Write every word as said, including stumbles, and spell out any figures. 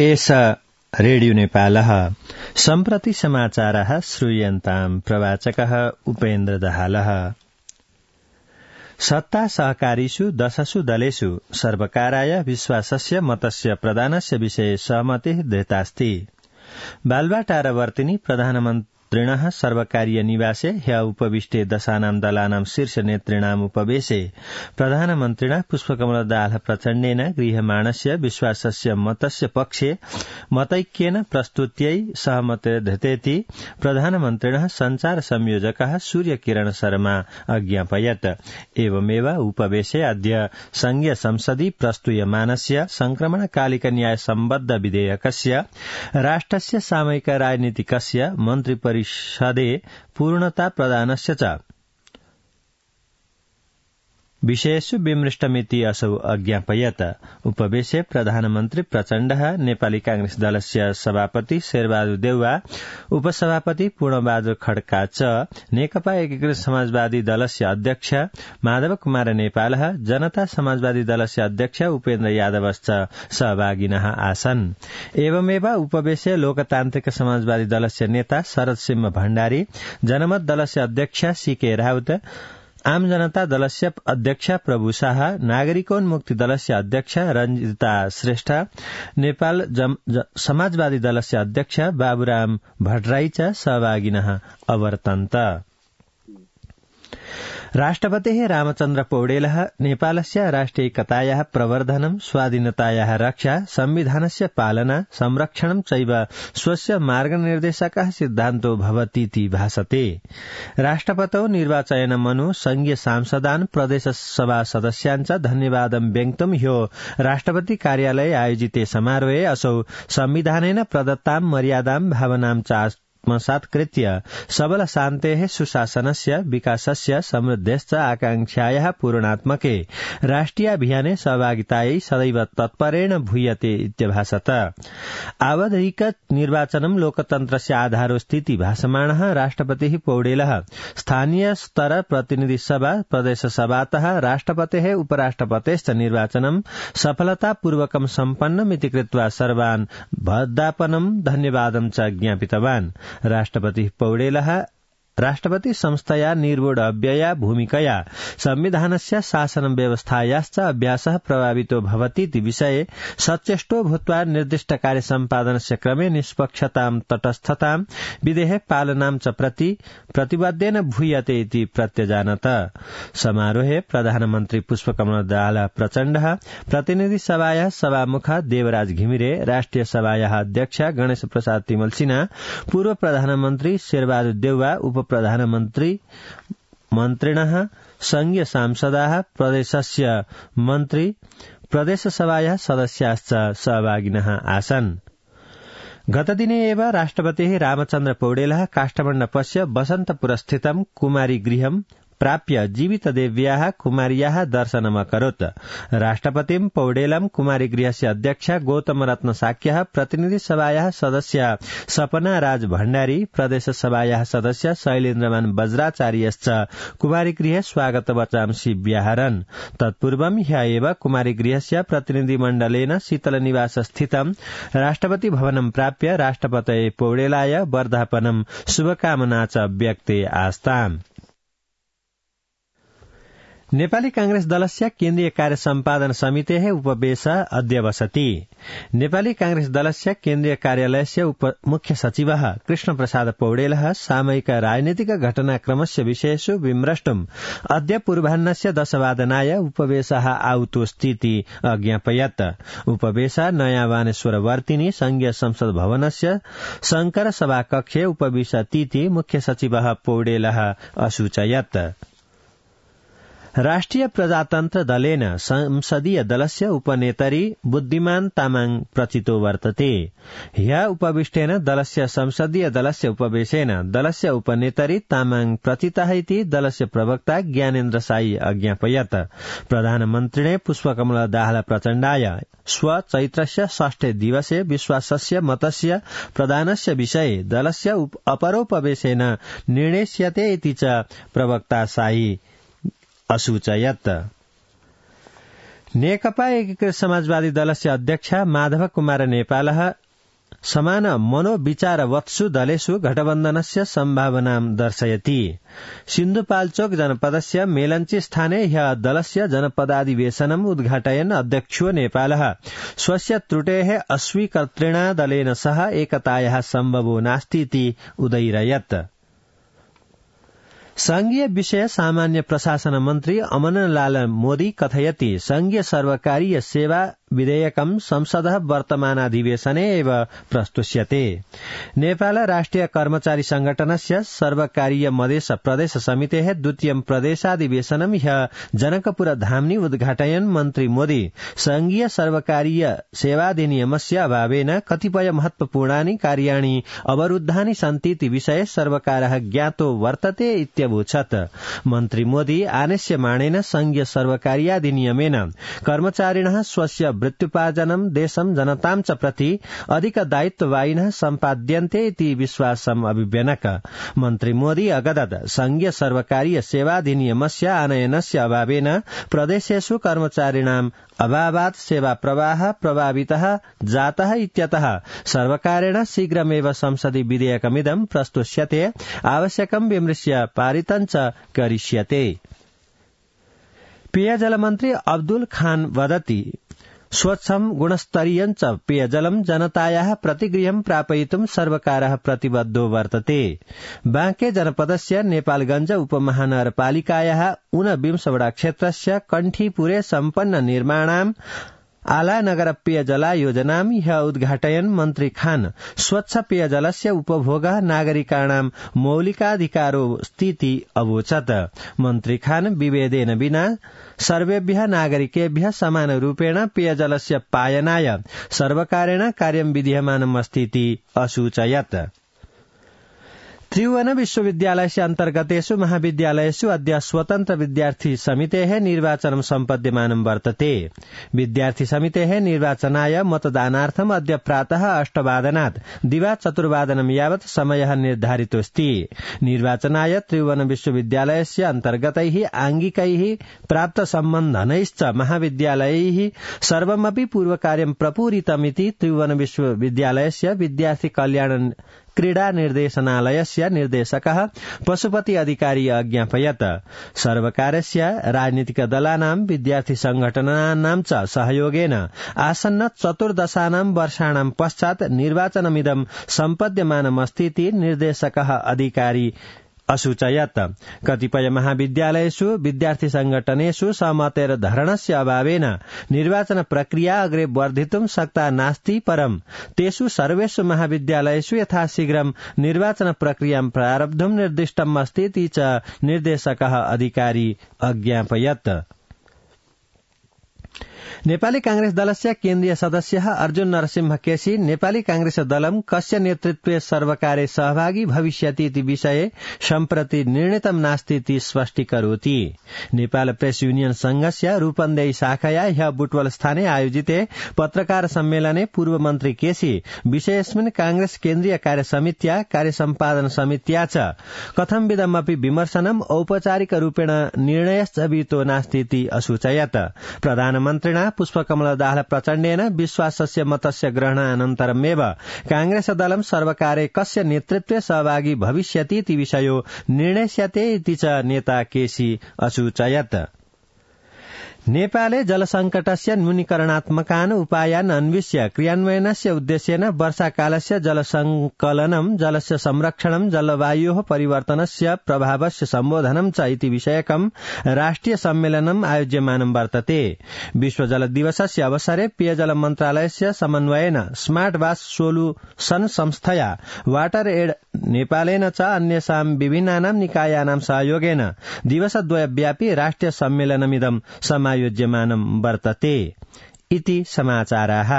एष रेडियो नेपालः सम्प्रति समाचारः श्रूयन्ताम् प्रवाचकः उपेन्द्र दाहालः। सत्ता सहकारीषु दशसु दलेषु सर्वकाराय विश्वासस्य मतस्य प्रदानस्य विषये सहमतिः दृतास्ति। बालवाटारवर्तिनी प्रधानमन्त्रिणः सर्वकारीय निवासे ह्य उपविष्टे दशानां दलानां शीर्ष नेतॄणाम् उपवेशे प्रधानमन्त्रिणा पुष्पकमल दाहाल प्रचण्डेन गृह्यमाणस्य विश्वासस्य मतस्य पक्षे मतैक्येन प्रस्तुत्यै सहमतिर्धृतेति प्रधानमन्त्रिणः सञ्चार संयोजकः सूर्यकिरण शर्मा अज्ञापयत्। एवमेव उपवेशे अद्य संघीय संसदि प्रस्तूयमानस्य संक्रमणकालिक न्याय सम्बद्ध विधेयकस्य राष्ट्रस्य सामयिक राजनीतिकस्य मन्त्रिपरिषदे पूर्णता प्रदानस्य च विषयेषु विमृष्टमिति असौ अज्ञापयत्। उपवेशे प्रधानमन्त्री प्रचण्डः नेपाली कांग्रेस दलस्य सभापति शेरबहादुर देउवा, उपसभापति पूर्णबहादुर खड्का च नेकपा एकीकृत समाजवादी दलस्य अध्यक्ष माधव कुमार नेपालः, जनता समाजवादी दलस्य अध्यक्ष उपेन्द्र यादवश्च सहभागिनः आसन्। एवमेव उपवेशे लोकतान्त्रिक समाजवादी दलस्य नेता शरद सिंह भण्डारी, जनमत दलस्य अध्यक्ष सीके राउत, आम जनता दलस्य अध्यक्ष प्रभु शाह, नागरिकोन्मुक्ति दलस्य अध्यक्ष रंजिता श्रेष्ठ, नेपाल समाजवादी दलस्य अध्यक्ष बाबुराम भट्टराई च सहभागिनः अवर्तन्त। राष्ट्रपतिः रामचन्द्र पौडेलः नेपालस्य राष्ट्रियैकतायाः प्रवर्धनं, स्वाधीनतायाः रक्षा, संविधानस्य पालना, संरक्षणं चैव स्वस्य मार्गनिर्देशकः सिद्धान्तो भवतीति भासते। राष्ट्रपतौ निर्वाचनमनु संघीय सांसदान्, प्रदेश सभा सदस्यान् च धन्यवादं व्यक्तुं ह्यो राष्ट्रपति कार्यालये आयोजिते समारोहे असौ संविधानेन प्रदत्तां मर्यादां भावनां च आत्मसात्कृत्य सबल शान्तेः, सुशासनस्य, विकासस्य, समृद्धेश्च आकांक्षायाः पूर्णात्मके राष्ट्रियाभियाने सहभागितायै सदैव तत्परेण भूयते इत्यभासत। आवधिक निर्वाचनं लोकतन्त्रस्य आधारोऽस्तीति भासमाणः राष्ट्रपतिः पौडेलः स्थानीय स्तर प्रतिनिधि सभा, प्रदेश सभातः राष्ट्रपतेः उपराष्ट्रपतेश्च निर्वाचनं सफलतापूर्वकं सम्पन्नमिति कृत्वा सर्वान् वदापनं धन्यवादं च ज्ञापितवान्। राष्ट्रपति पौडेलः राष्ट्रपति संस्थया निर्वोढ अव्यया भूमिकया संविधानस्य शासन व्यवस्थायाश्च अभ्यासः प्रभावितो भवतीति विषये सचेष्टो भूत्वा निर्दिष्ट कार्य सम्पादनस्य क्रमे निष्पक्षतां, तटस्थतां, विधेः पालनां च प्रति प्रतिबद्धेन भूयते इति प्रत्यजानत। समारोहे प्रधानमन्त्री पुष्पकमल दाहाल प्रचण्डः, प्रतिनिधि सभायाः सभामुख देवराज घिमिरे, राष्ट्रिय सभायाः अध्यक्ष गणेश प्रसाद तिमल सिन्हा, पूर्व प्रधानमन्त्री शेरबहादुर देउवा, उप प्रधानमन्त्री मन्त्रिणः, संघीय सांसदाः, प्रदेशस्य मन्त्री, प्रदेश सभायाः सदस्याश्च सहभागिनः आसन्। गतदिने एव राष्ट्रपतिः रामचन्द्र पौडेलः काष्ठमण्डपस्य वसन्तपुरस्थितं कुमारी गृहं प्राप्य जीवितदेव्याः कुमार्याः दर्शनमकरोत्। राष्ट्रपतिं पौडेलं कुमारी गृहस्य अध्यक्ष गौतम रत्न साक्यः, प्रतिनिधि सभायाः सदस्य सपना राज भण्डारी, प्रदेश सभायाः सदस्य शैलेन्द्रमान वज्राचार्यश्च कुमारी गृहे स्वागत वचांसि व्याहरन्। तत्पूर्वं ह्य एव कुमारी गृहस्य प्रतिनिधिमण्डलेन शीतलनिवास स्थितं राष्ट्रपति भवनं प्राप्य राष्ट्रपतये पौडेलाय वर्धापनं शुभकामना च व्यक्ते आस्ताम्। नेपाली कांग्रेस दलस्य केन्द्रीय कार्य सम्पादन समितेः उपवेश अद्य बसति। नेपाली कांग्रेस दलस्य केन्द्रीय कार्यालयस्य उप मुख्य सचिवः कृष्ण प्रसाद पौडेलः सामयिक राजनीतिक घटनाक्रमस्य विषयेषु विमृष्टुम् अद्य पूर्वाह्नस्य दशवादनाय उपवेशः आहुतोऽस्तीति अज्ञापयत्। उपवेश नयाँ वानेश्वर वर्तिनी संघीय संसद भवनस्य शंकर सभाकक्षे उपविशतीति मुख्य सचिवः पौडेलः असूचयत्। राष्ट्रिय प्रजातन्त्र दलेन संसदीय दलस्य उपनेतरी बुद्धिमान तामाङ प्रचितो वर्तते। ह्य उपविष्टेन दलस्य संसदीय दलस्य उपवेशेन दलस्य उपनेतरी तामाङ प्रचितः इति दलस्य प्रवक्ता ज्ञानेन्द्र साई अज्ञापयत्। प्रधानमन्त्रिणे पुष्पकमल दाहाल प्रचण्डाय स्व चैत्रस्य षष्ठे दिवसे विश्वासस्य मतस्य प्रदानस्य विषये दलस्य अपरोपवेशेन निर्णेष्यते इति च प्रवक्ता साई असूचयत्। नेकपा एकीकृत समाजवादी दलस्य अध्यक्ष माधव कुमार नेपालः समान मनोविचारवत्सु दलेषु घटबन्धनस्य सम्भावनां दर्शयति। सिन्धुपाल्चोक जनपदस्य मेलन्ची स्थाने ह्यः दलस्य जनपदाधिवेशनम् उद्घाटयन् अध्यक्षो नेपालः स्वस्य त्रुटेः अस्वीकर्तृणा दलेन सह एकतायाः सम्भवो नास्तीति उदयिरयत्। संघीय विषय सामान्य प्रशासन मन्त्री अमरलाल मोदी कथयति संघीय सर्वकारीय सेवा विधेयकं संसदः वर्तमानाधिवेशने एव प्रस्तुष्यते। नेपाल राष्ट्रिय कर्मचारी संगठनस्य सर्वकारीय मधेस प्रदेश समितेः द्वितीयं प्रदेशाधिवेशनं ह्यः जनकपुर धाम्नि उद्घाटयन् मन्त्री मोदी संघीय सर्वकारीय सेवाधिनियमस्य अभावेन कतिपय महत्वपूर्णानि कार्याणि अवरुद्धानि सन्तीति विषये सर्वकारः ज्ञातो वर्तते इत्यवोचत्। मन्त्री मोदी आनेस्यमाणेन संघीय सर्वकारीयाधिनियमेन कर्मचारिणः स्वस्य वृत्त्युपार्जनं देशं जनतां च प्रति अधिक दायित्ववाहिनः सम्पाद्यन्ते इति विश्वासम् अभिव्यनक। मन्त्री मोदी अगदत् संघीय सर्वकारीय सेवाधिनियमस्य आनयनस्य अभावेन प्रदेशेषु कर्मचारिणाम् अभावात् सेवा प्रवाह प्रभावितः जातः इत्यतः सर्वकारेण शीघ्रमेव संसदि विधेयकमिदं प्रस्तुष्यते आवश्यकं विमृश्य पारितं च करिष्यते। पेयजल मन्त्री अब्दुल खान वदति स्वच्छं गुणस्तरीयं च पेयजलं जनतायाः प्रतिगृहं प्रापयितुं सर्वकारः प्रतिबद्धो वर्तते। बांके जनपदस्य नेपालगंज उपमहानगरपालिकायाः ऊनविंशवटा क्षेत्रस्य कण्ठीपुरे सम्पन्न निर्माणाम् आला नगर पेयजला योजनां ह्यः उद्घाटयन् मन्त्री खान स्वच्छ पेयजलस्य उपभोगः नागरिकाणां मौलिकाधिकारो स्थिति अवोचत्। मन्त्री खान विभेदेन विना सर्वेभ्यः नागरिकेभ्यः समानरूपेण पेयजलस्य पायनाय सर्वकारेण कार्यं विधीयमानम् अस्तीति असूचयत्। त्रिभुवन विश्वविद्यालयस्य अन्तर्गतेषु महाविद्यालयेषु अद्य स्वतन्त्र विद्यार्थी समितेः निर्वाचनं सम्पद्यमानं वर्तते। विद्यार्थी समितेः निर्वाचनाय मतदानार्थम् अद्य प्रातः अष्टवादनात् दिवा चतुर्वादनं यावत् समयः निर्धारितोऽस्ति। निर्वाचनाय त्रिभुवन विश्वविद्यालयस्य अन्तर्गतैः आंगिकैः प्राप्त सम्बन्धनैश्च महाविद्यालयैः सर्वमपि पूर्वकार्यं प्रपूरितमिति त्रिभुवन विश्वविद्यालयस्य विद्यार्थी कल्याण क्रीडा निर्देशनालयस्य निर्देशकः पशुपति अधिकारी अज्ञापयत्। सर्वकारस्य राजनीतिक दलानां विद्यार्थी संघटनानां च सहयोगेन आसन्न चतुर्दशानां वर्षाणां पश्चात् निर्वाचनमिदं सम्पद्यमानमस्तीति निर्देशकः अधिकारी असूचयत्। कतिपय महाविद्यालयेषु विद्यार्थी संघटनेषु सहमतेर धरणस्य अभावेन निर्वाचन प्रक्रिया अग्रे वर्धितुं शक्ता नास्ति परं तेषु सर्वेषु महाविद्यालयेषु यथाशीघ्रं निर्वाचन प्रक्रियां प्रारब्धुं निर्दिष्टम् अस्ति इति च निर्देशकः अधिकारी अज्ञापयत्। नेपाली कांग्रेस दलस्य केन्द्रीय सदस्यः अर्जुन नरसिंह केसी नेपाली कांग्रेस दलं कस्य नेतृत्वे सर्वकारे सहभागी भविष्यति इति विषये सम्प्रति निर्णीतं नास्ति इति स्पष्टीकरोति। नेपाल प्रेस यूनियन संघस्य रूपन्देही शाखाया ह्यः बुटवल स्थाने आयोजिते पत्रकार सम्मेलने पूर्व मन्त्री केसी विषयेऽस्मिन् कांग्रेस केन्द्रीय कार्य समित्या कार्य सम्पादन समित्या च कथंविधमपि विमर्शनम् औपचारिक रूपेण निर्णयश्च विहितो नास्ति इति असूचयत्। प्रधानमन्त्रिणा पुष्पकमल दाहाल प्रचण्डेन विश्वासस्य मतस्य ग्रहणानन्तरमेव कांग्रेस दलं सर्वकारे कस्य नेतृत्वे सहभागी भविष्यति इति विषयो निर्णेष्यते इति च नेता केसी असूचयत्। नेपाले जलसंकटस्य न्यूनीकरणात्मकान् उपायान् अन्विष्य क्रियान्वयनस्य उद्देश्येन वर्षाकालस्य जलसंकलनं जलस्य संरक्षणं जलवायोः परिवर्तनस्य प्रभावस्य सम्बोधनं च इति विषयकं राष्ट्रिय सम्मेलनम् आयोज्यमानं वर्तते। विश्व जल दिवसस्य अवसरे पेयजल मन्त्रालयस्य समन्वयेन स्मार्ट वास सोल्युशन संस्थया वाटर एड नेपालेन च अन्येषां विभिन्नानां निकायानां सहयोगेन दिवसद्वयव्यापी राष्ट्रिय सम्मेलनमिदं समायोज्यमानं वर्तते इति समाचाराः।